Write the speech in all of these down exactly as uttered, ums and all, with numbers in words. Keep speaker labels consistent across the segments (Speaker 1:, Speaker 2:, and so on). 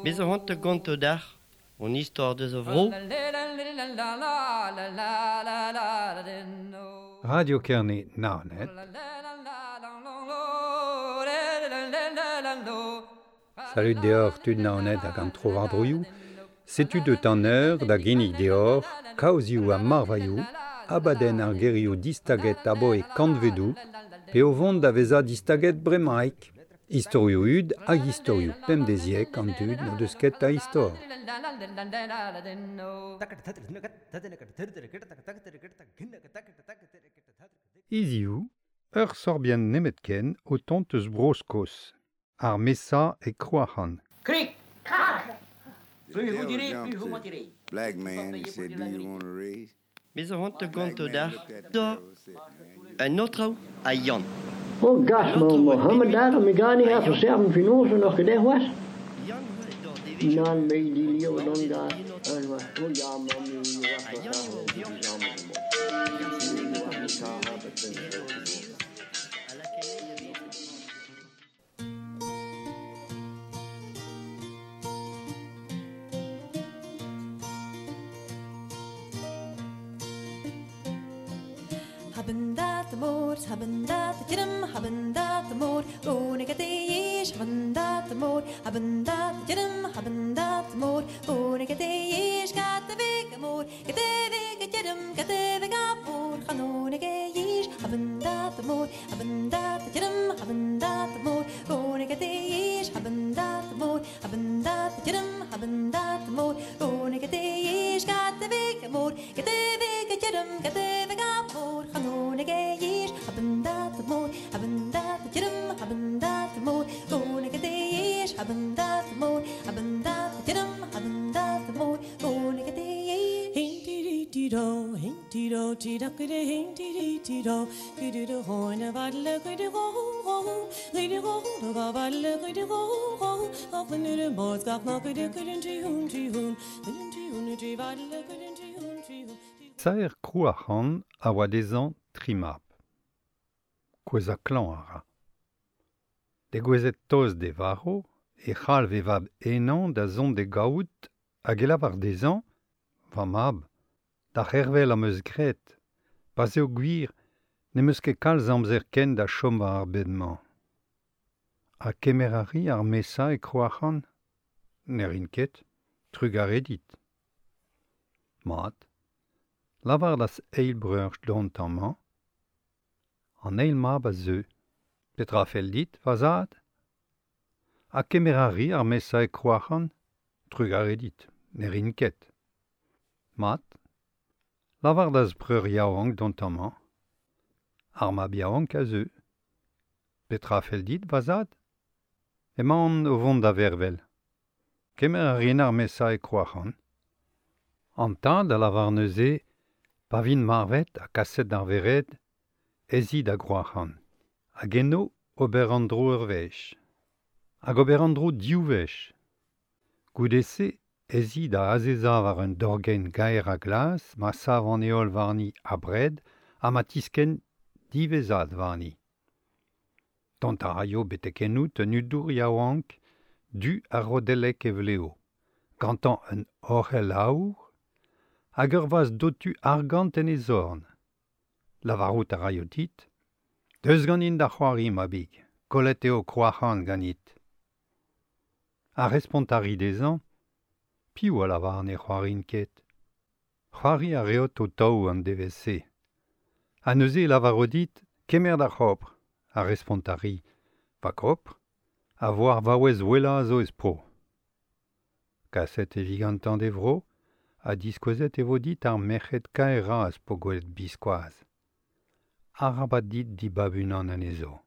Speaker 1: Bez zo c'hoant da gontañ deoc'h hon istor deus a vro.
Speaker 2: Radio Kerne Naoned. Salut deoc'h tud Naoned hag an tro-war-droioù. Setu deut an eur da ginnig deoc'h kaozioù ha marvailhoù, abadenn ar gerioù distaget aboe kantvedoù, pe o vont da vezañ distaget bremaik. Istorioù hud hag istorioù pemdeziek an dud n'o deus ket a istor. Hiziv, ur sorbienn nemetken o tont eus Bro-Skos, ar Mesa e Krouac'han.
Speaker 3: Krik, krak! Plus vous direz, plus vous mentirez.
Speaker 4: Black man, he said, do you want a raise?
Speaker 1: Bez zo c'hoant da gontañ deoc'h da un aotrou ha Yann.
Speaker 5: Oh gas, ma Mohammed daar, mi ga niet even zeggen finoze nog gedacht was. Nan me die leo dan daar. En was oh ja, man, mi was
Speaker 6: Haben dat de moord, haben dat de jidem, haben dat de moord, woon ik het is, haben dat de moord, haben dat de jidem, haben dat de moord, woon ik het is, gaat de week moord, gaat de week het jidem, gaat de week aboord, gaan woon ik het is, haben dat de moord, haben dat de jidem, haben dat de moord, woon ik het is, haben dat de moord, haben dat de jidem, haben dat de moord, woon ik het is, gaat de week moord, gaat de week het jidem, gaat de week aboord, gaan woon ik het is, haben dat de moord, haben dat de jidem, haben dat de moord, woon ik het is, haben dat de moord, haben dat de jidem, haben dat de moord, woon ik het is.
Speaker 7: Hin-ti-di-ti-do, hin-ti-do, ti-da-ki-di, hin-ti-di-ti-do, ki-di-do-hoin-a-va-le, ki-di-go-ho, ki-di-go-ho-va-va-le, ki-di-go-ho, off-in-di-di-moz-gaf-ma-ki-di-ki-din-ti-hoon-ti-hoon, ki-din-ti-hoon-ti-va-le, ki-din-ti-hoon-ti-hoon.
Speaker 2: Saer Krouac'han a oa dezhañ tri mab. Kouezhañ klañv a ra. Degouezhet tost d'e varv, e c'halv e vab henañ da zont d'e gaout hag e lavar dezhañ, va mab, da c'hervel am eus graet, pa'z eo gwir, n'em eus ket kalz amzer ken da chom war ar bed-mañ. Ha kemer a ri ar Mesa e Krouac'han? Ne rin ket, trugarez dit. Mat, lavar d'az eil breur dont amañ. An eil mab a zeu. Petra fell dit, va zad? Ha kemer a ri ar Mesa e Krouac'han? Trugarez dit, ne rin ket. Mat, lavar d'az breur yaouank dont amañ. Ar mab yaouank a zeu. Petra fell dit, va zad? Emaon o vont da vervel. Kemer a rin ar Mesa e Krouac'han. An tad a lavar neuze, pa vin marvet ha kaset d'ar vered, ez i da Grouac'han. Hag eno ober an dro ur wech. Hag ober an dro div wech. Goude-se, ez i da azezañ war un dorgenn gaer a glas, ma sav an heol warni abred ha ma tiskenn diwezhat warni. Dont a raio betek ennout un hudour yaouank, du ha rodellek e vleo, gantañ un orc'hell aour, hag ur vazh dotu argant en e zorn. Lavarout a raio dit, deus ganin da c'hoari, mabig, kollet eo Krouac'han ganit. Ha respont a ri dezhañ, piv a lavar ne c'hoarin ket. C'hoari a reot o taou an devezh-se. Ha neuze e lavaro dit, kemer da c'hopr, a respont a ri, va gopr, a vo ar vaouez wellañ a zo ez pro. Kaset e vi gantañ d'e vro, ha diskouezet e vo dit ar merc'hed kaerañ az po gwelet biskoazh. Arabat dit dibab unan anezho.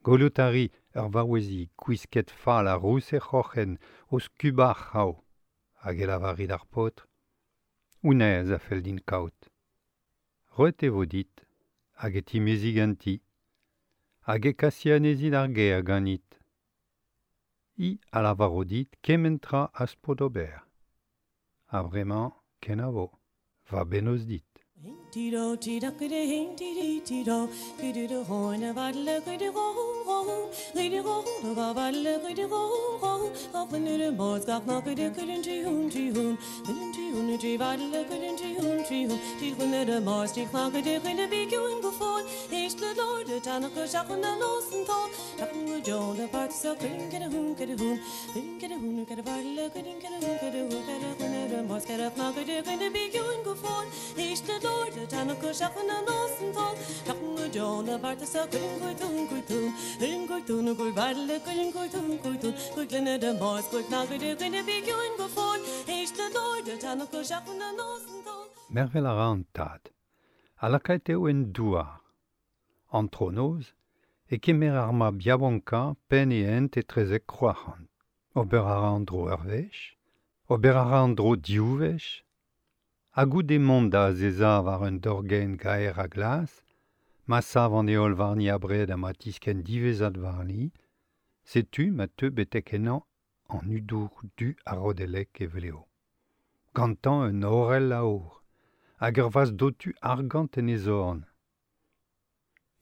Speaker 2: Gwelout a ri ur vaouezi gwisket fall ha rous he c'hroc'hen o skubañ ar c'hraou, hag e lavari d'ar paotr, honnezh a fell din kaout. Roet e vo dit, hag e timezi ganti, hag e kasi anezhi d'ar gêr ganit. Hi a lavaro dit kement tra az po d'ober. Ha bremañ, kenavo, va bennozh dit.
Speaker 7: ti do ti da ki de hin ti di ti do ki do do hoin a va le ki de go go ki de go do ga va le ki de go go go ki de bo ga na ki de ki de ti hun ti hun ki de ti hun ti va le ki de ti hun ti hun ti hun de mo ti kna ki de ki de bi ki un go fo ich le lord de ta na ko sha kun na no sen to ta kun go jo de part so ki de ki de hun ki de hun ki de ki de hun ki de va le ki de ki de hun ki de hun ki de hun de mo ki de na ki de ki de bi ki un go fo ich le lord de ta na ko sha kun na no sen to ta kun go jo de part so ki de ko tun ko tun in ko tun ko va le ki de ko tun ko tun ko de de mo ko na ki de ki de bi ki un go fo ich le lord de ta na ko sha kun na no sen to
Speaker 2: Mervel a ra an tad, a lakaet eo en douar. Antronoz, e kemer ar mab yaouanka penn e hent etrezek Kroac'hant. Ober a ra an dro ur wech, ober a ra an dro div wech, ha goude mont da azezañ war un dorgenn gaer a glas, ma sav an heol warni abred ha ma tiskenn diwezhat warni, setu ma teu betek ennañ an hudour du a rodellek evel eo. Gantañ un horell aour, hag ur vaz dotu argant en e zorn.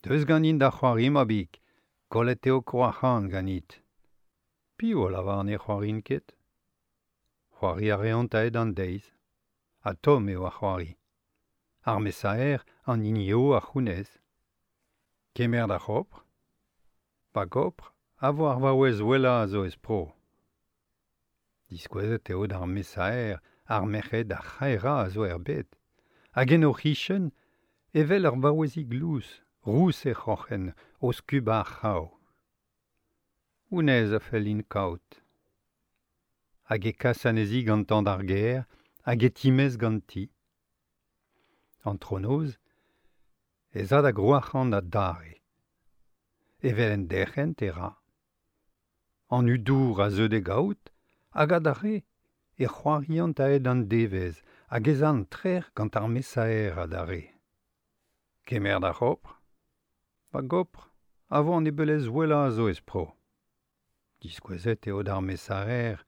Speaker 2: Deus ganin da c'hoari mabig, kollet eo Kroac'hant ganit. Piv a lavar ne c'hoarin ket? C'hoari a reont aet an deiz. Ha tomm eo ar c'hoari. Ar mesaer an hini eo ar c'hounez. Kemer da c'hopr. Pa gopr, a vo ar vaouez wellañ a zo ez pro. Diskouezet eo d'ar mesaer ar merc'hed ar c'haerañ a zo er bed. Hag en o c'hichen, evel ur vaouezig lous, rous e c'hroc'hen, o skubañ ar c'hraou. Honnezh a fell din kaout. Hag e kas anezhi gantañ d'ar gêr, hag e timez ganti. Antronoz, ez a da Groac'hant adarre. Evel en derc'hent e ra. An hudour a zeu d'e gaout, hag adarre e c'hoariant aet an devezh, hag ez a an trec'h gant ar mesaer adarre. Kemer da c'hopr. Va gopr, a vo an ebeulez wellañ a zo ez pro. Diskouezet eo d'ar mesaer,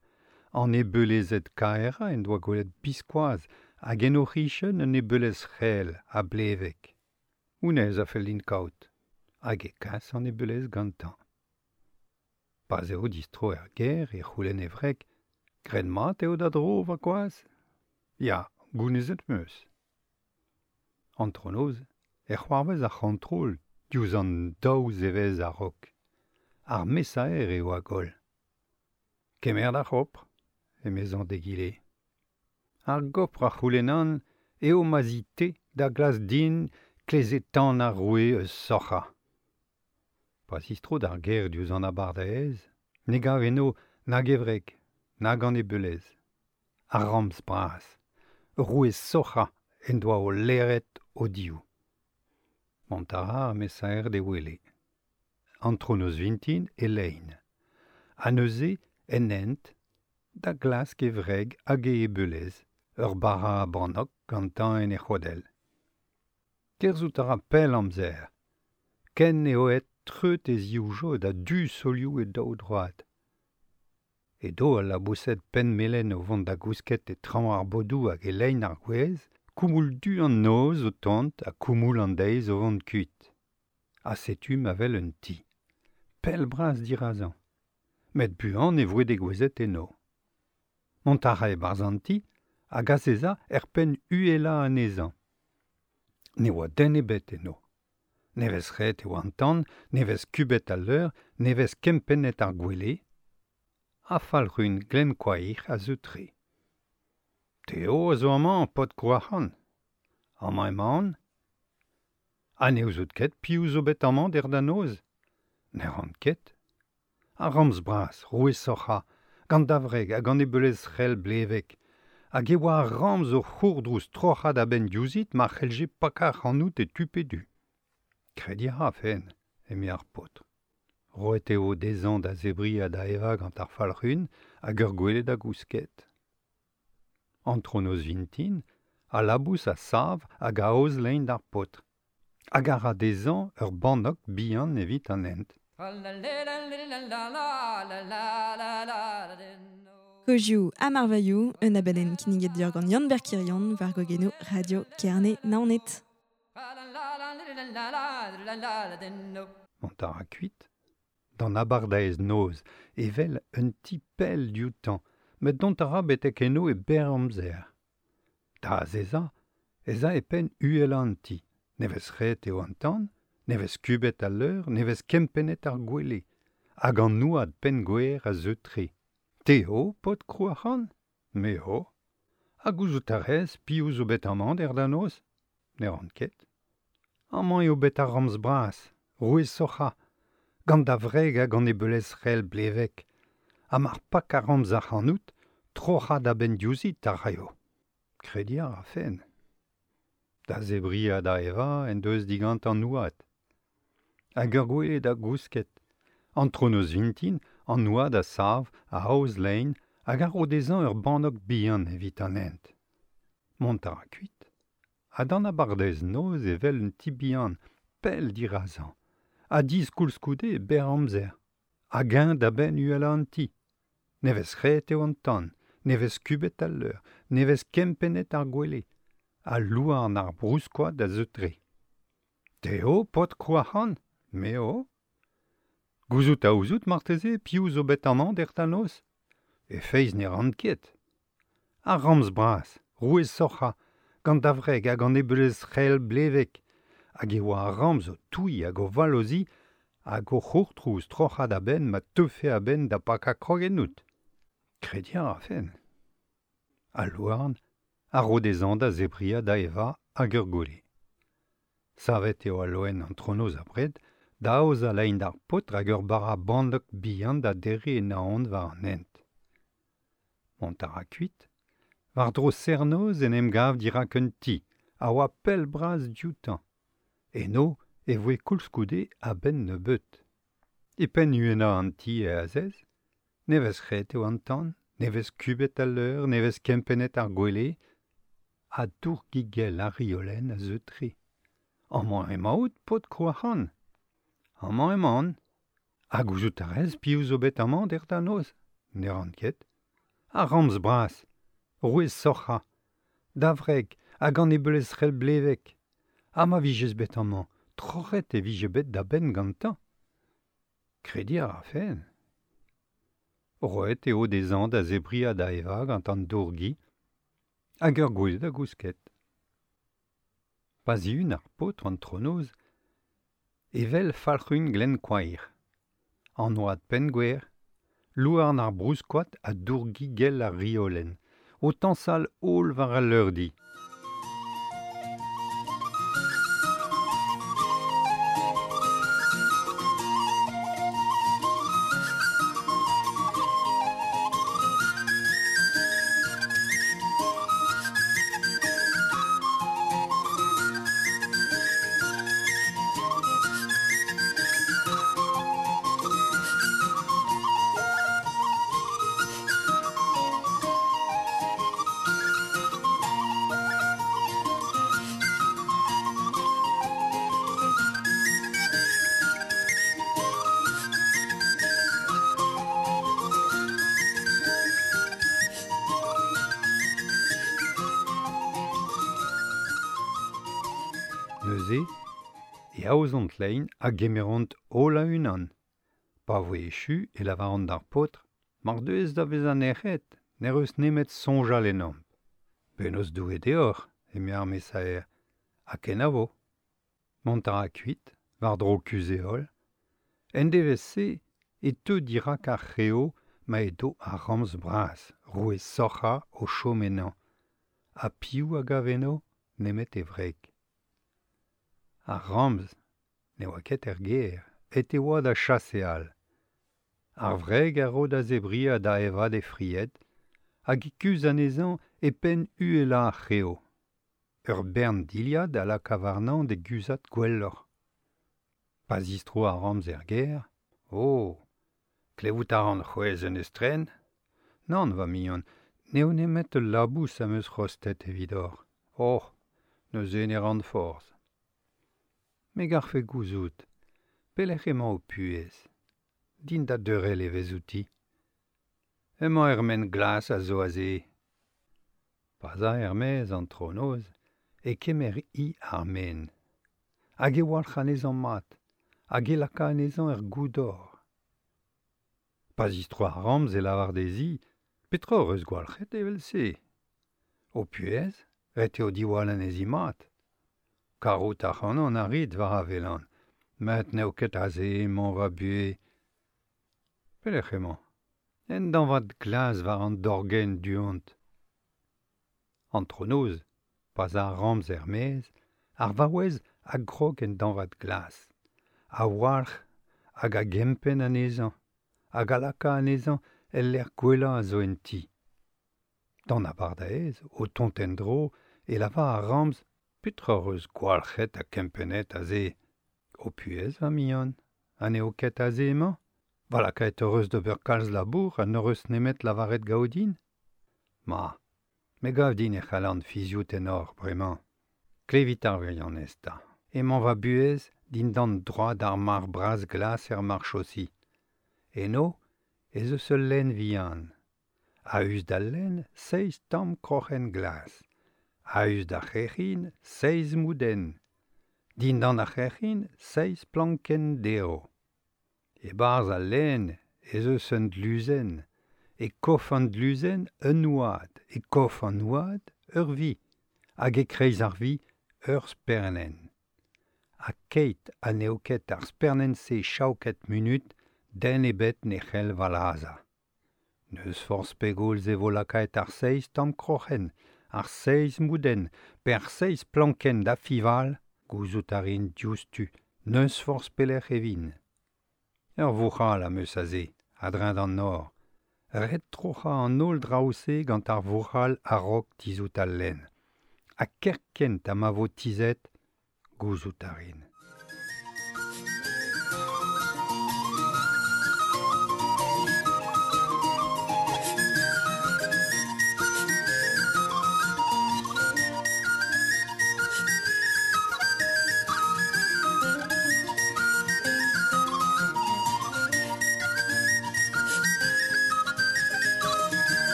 Speaker 2: an ebeulezed kaerañ en doa gwelet biskoazh hag en o c'hichen un ebeulez c'hell ha blevek. Honnezh a fell din kaout, hag e kas an ebeulez gantañ. Pa'z eo distro er gêr e c'houlenn e wreg, graet mat eo da dro va gwaz? Ya, gounezet 'm eus. Antronoz, e c'hoarvez ar c'hontrol diouzh an daou zevezh a-raok. Ar mesaer eo a goll. Kemer da c'hopr, emezañ d'egile. Ar gopr a c'houlennan eo ma zi-te da glas din kleze-tan ar roue eus Soc'ha. Pa zistro d'ar gêr diouzh an abardaez, ne gav eno nag e wreg, nag an ebeulez. Ar ramz bras, roue Soc'ha en doa o leret o div. Mont a ra ar mesaer d'e wele. Antronoz vintin e lein. Ha neuze, en hent, da glask e wreg hag e ebeulez, ur bara a bannok gantañ en e c'hodell. Kerzhout a ra pell amzer. Ken eo aet treut e zivjod ha du solioù e daou droad. Edo al laboused penn-melen o vont da gousket e traoñ ar bodoù hag e lein ar gwez, koumoul du an noz o tont ha koumoul an deiz o vont kuit. Ha setu ma wel un ti. Pell bras dirazañ. Met buan e voe degouezhet eno. Mont a ra e-barzh an ti hag azezañ er penn uhelañ anezhañ. Ne oa den ebet eno. Ne vez ret e oa an tan, ne vez kubet al leur, ne vez kempennet ar gwele. Ha falc'hun Glenkoair a zeu tre. Te eo a zo amañ, paotr Kroac'hant. Amañ emaon. Ha ne ouzout ket piv zo bet amañ dec'h da noz? Ne ran ket. Ar ramz bras, roue Soc'ha, gant da wreg hag an ebeulez c'hell blevek, hag e oa ar ramz o c'hourdrouz troc'had a-benn diouzhit ma c'hellje pakañ ac'hanout e tu pe du. Krediñ a ra fen, eme ar paotr. Roet eo dezhañ da zebriñ ha da evañ gant ar falc'hun hag ur gwele da gousket. Antronoz vintin, al labous a sav hag a aoz lein d'ar paotr. Hag a ra dezhañ ur bannok bihan evit an hent.
Speaker 6: Kozioù ha marvailhoù, un abadenn kinniget deoc'h gant Yann Berkirion war gogenoù Radio Kerne Naoned.
Speaker 2: Mont a ra kuit, d'an abardaez noz, evel un ti pell dioutañ, met dont a ra betek eno e berr amzer. Da azezañ, ez a e penn uhelañ an ti. Ne vez ret eo an tan, ne vez kubet al leur, ne vez kempennet ar gwele, hag an nouad penn-gwer a zeu tre. Te ho, paotr Krouac'han? Me ho. Ha gouzout a rez piv zo bet amañ dec'h da noz? Ne ran ket. Amañ eo bet ar ramz bras, roue Sorc'ha, gant da wreg hag an ebeulez c'hell blevek, ha mar pak ar ramz ac'hanout, troc'hañ da benn diouzhit a raio. Krediñ a rafen. Da zebriñ ha da evañ en deus digant an nouad. Hag ur gwele da gousket. Antronoz vintin, an nouad a sav, a aoz lein, hag a ro dezhañ ur bannok bihan evit an hent. Mont a ra kuit. Ha d'an abardaez noz evel un ti bihan, pell dirazañ, ha diz koulskoude e berr amzer. Hag eñ da benn uhelañ an ti. Ne vez ret eo an tan, ne vez kubet al leur, ne vez kempennet ar gwele. Ha louarn ar brouskoad a zeu tre. Te ho, paotr Krouac'han? Me ho. Gouzout a ouzout marteze piv zo bet amañ dec'h da noz? E feiz ne ran ket. Ar ramz bras, roue Sorc'ha, gant da wreg hag an ebeulez c'hell blevek, hag e oa ar ramz o touiñ hag o vallozhiñ hag o c'hourtrouz troc'hañ da benn ma teufe a-benn da pakañ krog ennout. Krediñ a rafen. Al louarn a ro dezhañ da zebriñ ha da evañ hag ur gwele. Savet eo al loen antronoz abred, da aozañ lein d'ar paotr hag ur bara bandok bihan da derriñ e naon war an hent. Mont a ra kuit, war-dro serr-noz en em gav dirak un ti, a oa pell-bras dioutañ. Eno e voe koulskoude a-benn nebeut. E penn uhelañ an ti e azez, ne vez ret eo an tan, ne vez kubet al leur, ne vez kempennet ar gwele, ha dourgigell ar riolenn a zeu tre. Amañ emaout, paotr Krouac'han? Amañ emaon. Ha gouzout a rez piv zo bet amañ dec'h da noz? Ne ran ket. Ar ramz bras, roue Sorc'ha, da wreg hag an ebeulez c'hell blevek. Ha ma vijes bet amañ, troc'het e vije bet da benn gantañ. Krediñ a rafen. Roet eo dezhañ da zebriñ ha da evañ gant an dourgi, hag ur gwele da gousket. Pa zihun ar paotr antronoz, evel falc'hun Glenkoair, an oad penn-gwer, louarn ar brouskoad ha dourgigell ar riolenn, o tañsal holl war al leurdi. Neuze, e aozont lein a gemeront holl a-unan. Pa voe echu e lavaront d'ar paotr, mar deuez da vezañ nec'het, n'er eus nemet soñjal ennomp. Penaos Doue deoc'h, eme ar mesaer, ha kenavo. Mont a ra kuit, war-dro kuzh-heol. En devezh-se e teu dirak ar c'heo ma edo ar ramz bras, roue Sorc'ha o chom ennañ. Ha piv a gav eno nemet e wreg. Ar ramz ne oa ket er gêr, et e oa da chaseal. Ar wreg a ro da zebriñ ha da evañ d'he fried, hag e kuzh anezhañ e penn uhelañ ar c'heo. Ur bern dilhad a laka warnañ d'e guzhat gwelloc'h. Pa zistro ar ramz er gêr, oh, klevout a ran c'hwezh un estren? Nann, va mignon, n'eo nemet ul labous am eus rostet evidoc'h. Oh, neuze ne ran forzh. Me garfe gouzout, pelec'h emañ ho puhez? Din da deurel evezh outi. Emañ er maen glas a zo aze. Pa 'z a er-maez antronoz, e kemer hi ar maen. Hag e walc'h anezhañ mat, hag e laka anezhañ er goudor. Pa zistro ar ramz e lavar dezhi, petra hoc'h eus gwalc'het evel-se? Ho puhez, ret eo diwall anezhi mat. Karout ac'hanon a rit war a welan, met n'eo ket aze emañ va buhez. Pelec'h emañ? En dañvad glas war an dorgenn du-hont. Antronoz, pa 'z a ar ramz er-maez, ar vaouez a grog en dañvad glas, a walc'h hag a gempenn anezhañ, hag a laka anezhañ el lec'h gwellañ a zo en ti. D'an abardaez, o tont en-dro, e lavar ar ramz petra hoc'h eus gwalc'het ha kempennet aze. Ho puhez, va mignon, ha n'eo ket aze emañ? Va lakaet hoc'h eus d'ober kalz labour ha n'hoc'h eus nemet lavaret gaodin? Ma, me gav din e c'hallan fiziout ennoc'h bremañ. Klevit ar wirionez 'ta. Emañ va buhez dindan droad ar marc'h bras glas er marchosi. Eno ez eus ul lenn vihan. A-us d'al lenn, seizh tamm kroc'hen glas. A-us d'ar c'hrec'hin, seizh moudenn. Dindan ar c'hrec'hin, seizh plankenn derv. E-barzh al lenn ez eus un dluzenn. E kof an dluzenn un oad, e kof an oad ur vi, hag e-kreiz ar vi ur spernenn. Ha keit ha n'eo ket ar spernenn-se chaoket munut, den ebet ne c'hell va lazhañ. N'eus forzh pegoulz e vo lakaet ar seizh tamm kroc'hen, ar seizh moudenn, pe ar seizh plankenn da fiñval, gouzout a rin diouzhtu, n'eus forzh pelec'h e vin. Ur vouc'hal am eus aze, a-dreñv d'an nor. Ret troc'hañ an holl draoù-se gant ar vouc'hal a-raok tizhout al lenn. Ha kerkent ha ma vo tizhet, gouzout a rin.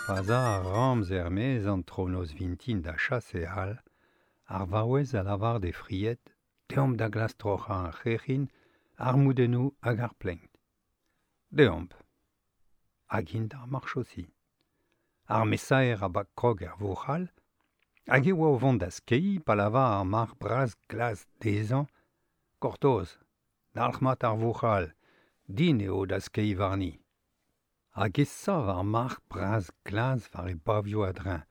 Speaker 2: Pa 'z a ar ramz er-maez antronoz vintin da chaseal, ar vaouez a lavar d'he fried, deomp da glask troc'hañ ar c'hrec'hin, ar moudennoù hag ar plenk. Deomp. Hag int d'ar marchosi. Ar mesaer a bak krog er vouc'hal, hag e oa o vont da skeiñ pa lavar ar marc'h bras glas dezhañ, gortoz, dalc'hmat ar vouc'hal, din eo da skeiñ warni. Hag e sav ar marc'h bras glas war e bavioù a-dreñv,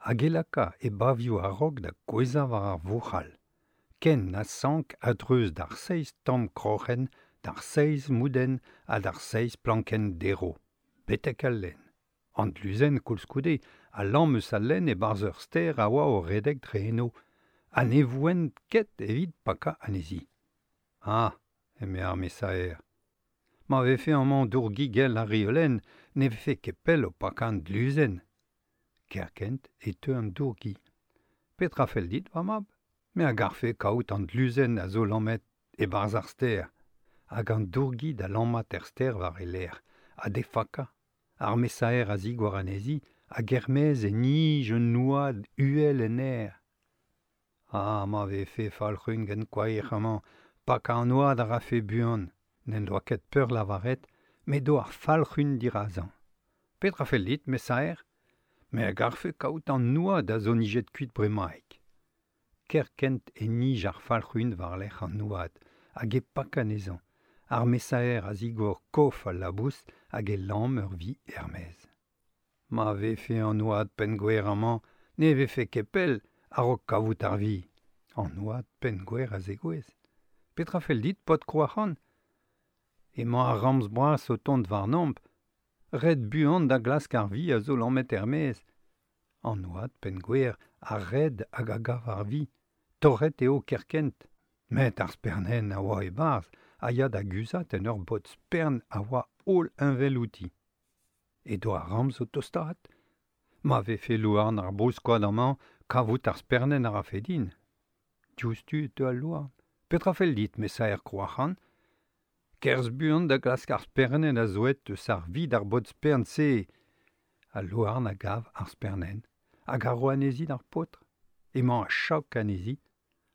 Speaker 2: hag e laka e bavioù a-raok da gouezhañ war ar vouc'hal. Ken na sank a-dreuz d'ar seizh tamm kroc'hen, d'ar seizh moudenn ha d'ar seizh plankenn derv, betek al lenn. An dluzenn koulskoude a lamm eus al lenn e-barzh ur stêr a oa o redek dre eno, ha ne voent ket evit pakañ anezhi. Ah, eme ar mesaer. Ma vefe amañ dourgigell ar riolenn, ne vefe ket pell o pakañ an dluzenn. Kerkent e teu an dourgi. Petra fell dit, va mab? Me a garfe kaout an dluzenn a zo lammet e-barzh ar stêr. Hag an dourgi da lammat er stêr war e lerc'h, ha d'he fakañ. Ar mesaer a zigor anezhi, hag er-maez e nij un oad uhel en aer. Ah, ma vefe falc'hun gant koaer amañ, pakañ an oad a rafe buan. N'en doa ket peurlavaret, met do ar falc'hun dirazañ. Petra fell dit, mesaer? Me a garfe kaout an oad a zo nijet kuit bremaik. Kerkent e nij ar falc'hun war-lerc'h an oad, hag e pak anezhañ. Ar mesaer a zigor kof al labous hag e lamm ur vi er-maez. Ma vefe an oad penngwer amañ, ne vefe ket pell a-raok kavout ar vi. An oad penngwer a zegouezh. Petra fell dit, paotr Krouac'han? Emañ ar ramz bras o tont warnomp, ret buan da glask ar vi a zo lammet er-maez. An oad penngwer a red hag a gav ar vi, torret eo kerkent. Met ar spernenn a oa e-barzh, a ya da guzhat en ur bod spern a oa holl heñvel outi. Edo ar ramz o tostaat. Ma vefe louarn ar brouskoad amañ kavout ar spernenn a rafe din. Diouzhtu e teu al louarn. Petra fell dit, mesaer Krouac'han? Kerzh buan da glask ar spernenn a zoet eus ar vid ar bod spern-se. Al louarn a gav ar spernenn hag a ro anezhi d'ar paotr. Emañ a chaok anezhi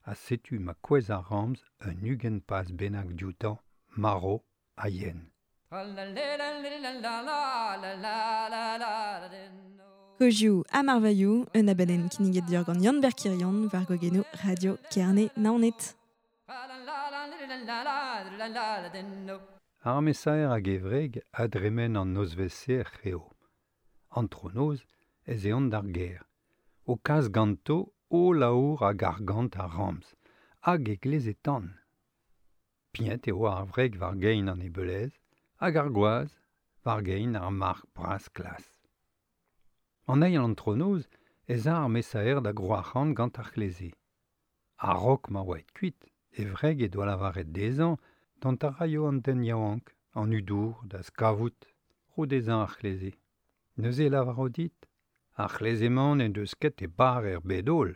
Speaker 2: ha setu ma kouezh ar ramz un ugent paz bennak dioutañ, marv ha yen.
Speaker 6: Kozioù ha marvailhoù, un abadenn kinniget deoc'h gant Yann Berkirion war gogenoù Radio Kerne Naoned.
Speaker 2: Ar mesaer hag e wreg a dremen an nozvezh-se er c'heo. Antronoz ez eont d'ar gêr. O kas ganto holl aour hag argant ar ramz, hag e gleze tan. Pignet eo ar wreg war gein an ebelez, hag ar gwaz war gein ar marc'h bras klas. An eil antronoz ez a ar mesaer da Grouac'han gant ar c'hleze. A-raok ma oa aet kuit, e wreg he doa lavaret dezhañ dont a raio an den yaouank, an hudour, da skavout, ro dezhañ ar c'hleze. Neuze e lavaro dit, ar c'hleze-mañ n'en deus ket e bar er bed-holl.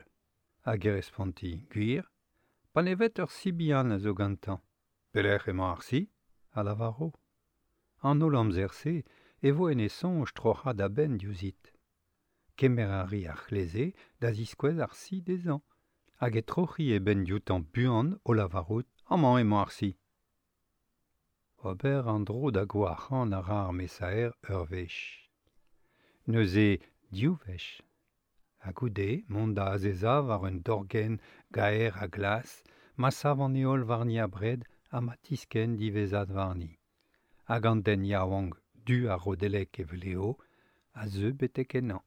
Speaker 2: Hag e responti, gwir, pa ne vet ur si bihan a zo gantañ. Pelec'h emañ ar si? A lavaro. An holl amzer-se e vo en e soñj troc'hañ da benn diouzhit. Kemer a ri ar c'hleze da ziskouez ar si dezhañ, hag e troc'hi e benn dioutañ buan o lavarout amañ emañ ar si. Ober an dro da Grouac'han a ra ar mesaer ur wech. Neuze div wech. Ha goude mont da azezañ war un dorgenn gaer ha glas, ma sav an heol warni abred ha ma tiskenn diwezhat warni. Hag an den yaouank du ha rodellek e vleo a zeu betek ennañ.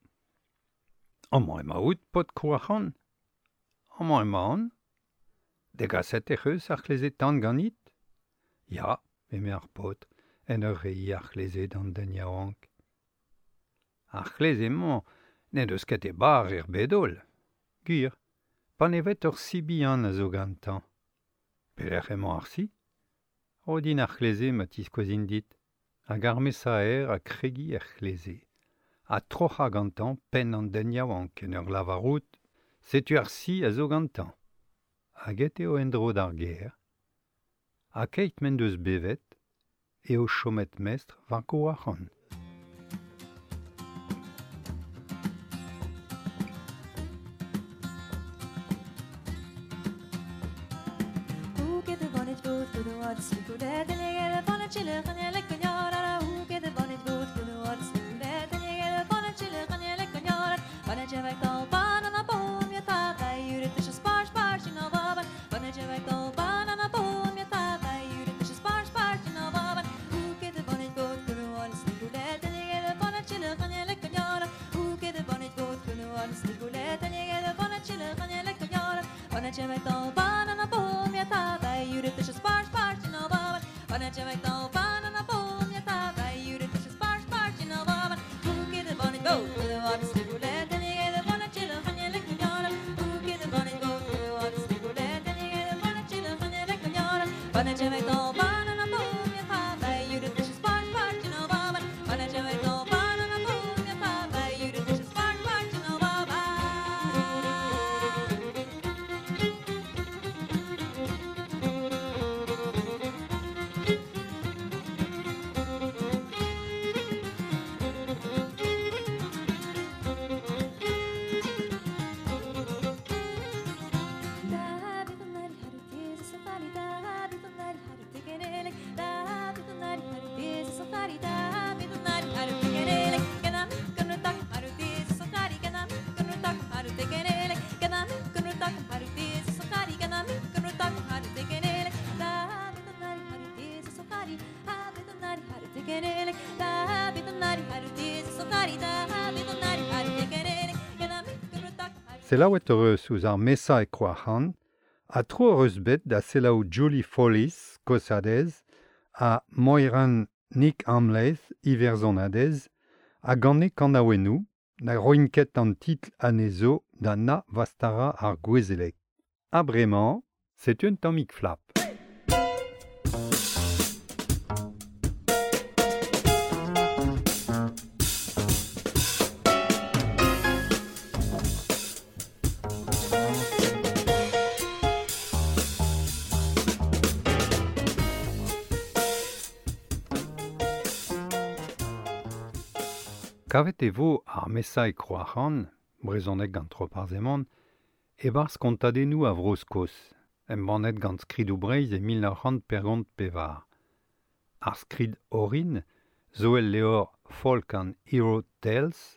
Speaker 2: Amañ emaout, paotr Krouac'han? Amañ emaon. Degaset ec'h eus ar c'hleze tan ganit? Ya, eme ar paotr, en ur reiñ ar c'hleze d'an den yaouank. Ar c'hleze-mañ n'en deus ket e bar er bed-holl. Gwir, pa ne vet ur si bihan a zo gantañ. Pelec'h emañ ar si? Ro din ar c'hleze ma tiskouezin dit. Hag ar mesaer a kregi er c'hleze. Ha troc'hañ gantañ penn an den yaouank en ur lavarout, setu ar si a zo gantañ. Hag aet eo en-dro d'ar gêr. Ha keit m'en deus bevet, eo chomet mestr war Grouac'han. Selaouet eus ouzh ar mesa e Krouac'han, ha tro eus bet da selaou Julie Follis, Kosadez, ha Moiran Nick Amleith, Iwerzhonadez, ha gane kanaouennoù, na roin ket an titl anezho da na vastara ar gouezeleg. Ha bremañ, setu un tammig flap. Kavet e vo ar mesa e Kroac'han, brezhoneg gant Roparz Hemon, e-barzh kontadennoù a Vro-Skos, embannet gant Skridoù Breizh e mil nav c'hant pergont pevar. Ar skrid orin zo el levr Folk and Hero Tales,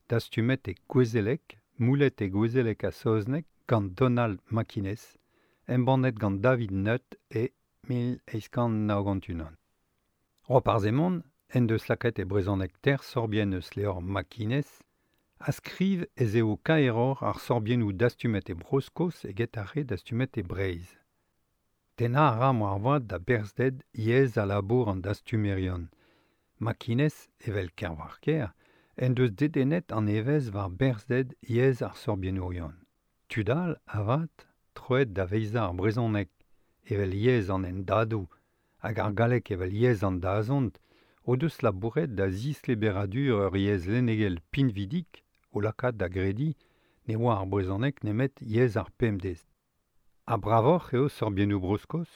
Speaker 2: dastumet e Gouezeleg, moulet e Gouezeleg ha saozneg gant Donald MacInnes, embannet gant David Nutt e mil eizh kant nav gant unan. Roparz Hemon en deus lakaet e brezhoneg ter sorbienn eus levr MacInnes, a skriv ez eo kaeroc'h ar sorbiennoù dastumet e Bro-Skos eget ar re dastumet e Breizh. Tennañ a ra moarvat da berzhded yezh a labour an dastumerion. MacInnes, evel Kervarker, en deus dedennet an evezh war berzhded yezh ar sorbiennourion. Tud all, avat, troet da veizañ ar brezhoneg, evel yezh an hendadoù, hag ar galleg evel yezh an dazont, o deus labouret da zisleberadur ur yezh lennegel pinvidik o lakaat da grediñ ne oa ar brezhoneg nemet yezh ar pemdez. Ha bravoc'h eo sorbiennoù Bro-Skos?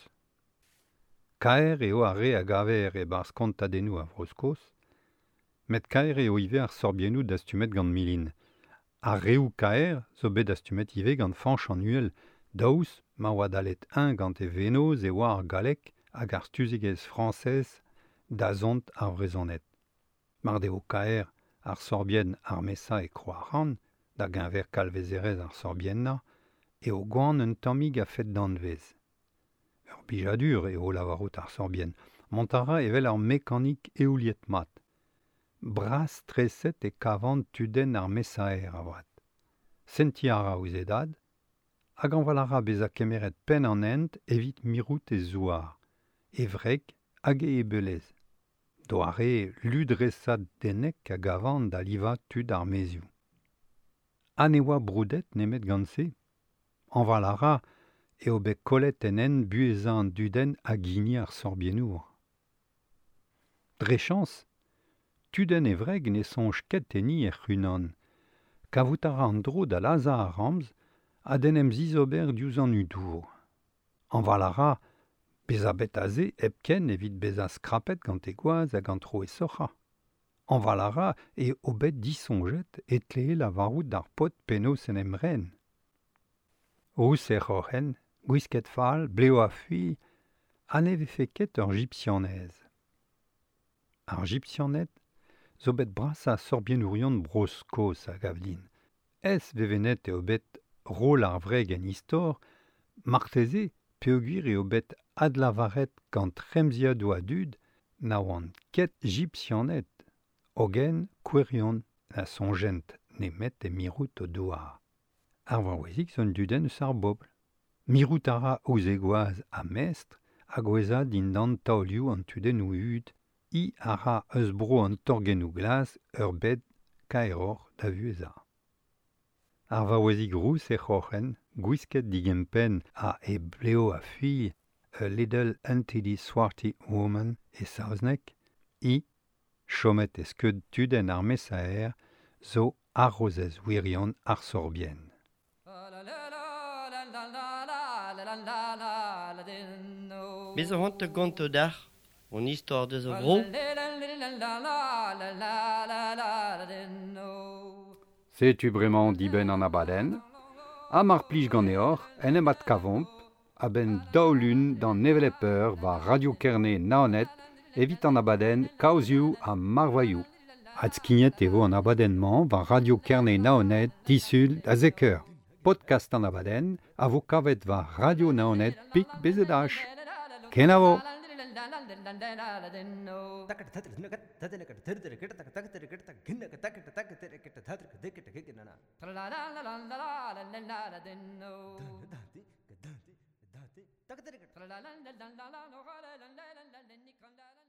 Speaker 2: Kaer eo ar re a gaver e-barzh kontadennoù a Vro-Skos, met kaer eo ivez ar sorbiennoù dastumet gant Milin. Ar reoù kaer zo bet dastumet ivez gant Fañch an Uhel, daoust ma oa dalet eñ gant e vennozh e oa ar galleg hag ar stuzegezh frañsez dazont ar Vrezhoned. Mar deo kaer ar sorbienn ar mesa e Kroac'han, da geñver kalvezerezh ar sorbiennañ, eo gwan un tammig a-fet danvez. Ur blijadur eo lavarout ar sorbienn, mont a ra evel ar mekanik eouliet mat. Bras treset e kavan tudenn ar mesaer avat. Sentiñ a ra ouzh e dad, hag anval a ra bezañ kemeret penn an hent evit mirout e zouar, e wreg hag e ebelez. Doare ludresad denek a gavan da livañ tud ar maezioù. Ha ne oa broudet nemet gant se. Anval a ra eo bet kollet en hent buhezañ an dudenn hag hini ar sorbiennour. Dre chañs, tudenn e wreg ne soñj ket enni hec'h-unan. Kavout a ra an dro da lazhañ ar ramz ha d'en em zizober diouzh an hudour. Anval a ra bezañ bet aze hepken evit bezañ skrapet gant e gwaz hag an tro e soc'hañ. Anval a ra eo bet disoñjet e tlee lavarout d'ar paotr penaos en em ren. Rous e c'horren, gwisket fall, blev a-fuilh, ha ne vefe ket ur jipsianez. Ar jipsianed zo bet brasañ sorbiennourion Bro-Skos a gav din. Ez vevenet eo bet roll ar wreg en istor, marteze peogwir eo bet adlavaret gant remziadoù a dud na oant ket jipsianed, hogen kouerion na soñjent nemet e mirout o douar. Ar vaouezig zo un dudenn eus ar bobl. Mirout a ra ouzh e gwaz ha mestr hag gouezañ dindan taolioù an tudennoù hud, i a ra eus bro an torgennoù glas ur bed kaeroc'h da vuhezañ. Ar vaouezig rous e c'horren, gwisket digempenn ha e blev a-fuilh, a little untidy swarty woman e saozneg, i, chomet e skeud tudenn ar mesaer, zo arrozez wirion ar sorbienn.
Speaker 1: Bez a c'hoant gonto dac'h, on istor deus a vro.
Speaker 2: Setu bremañ dibenn an abadenn, ha mar plij ganeoc'h en em adkavomp a-benn daou lun d'an hevelep eur war Radio Kerne Naoned evit an abadenn Kaozioù ha Marvailhoù. Adskignet e vo an abadenn-mañ war Radio Kerne Naoned disul da zek eur. Podcast an abadenn a vo kavet war Radio Naoned pik B Z H. Kenavo!
Speaker 3: La la la la la la la la la.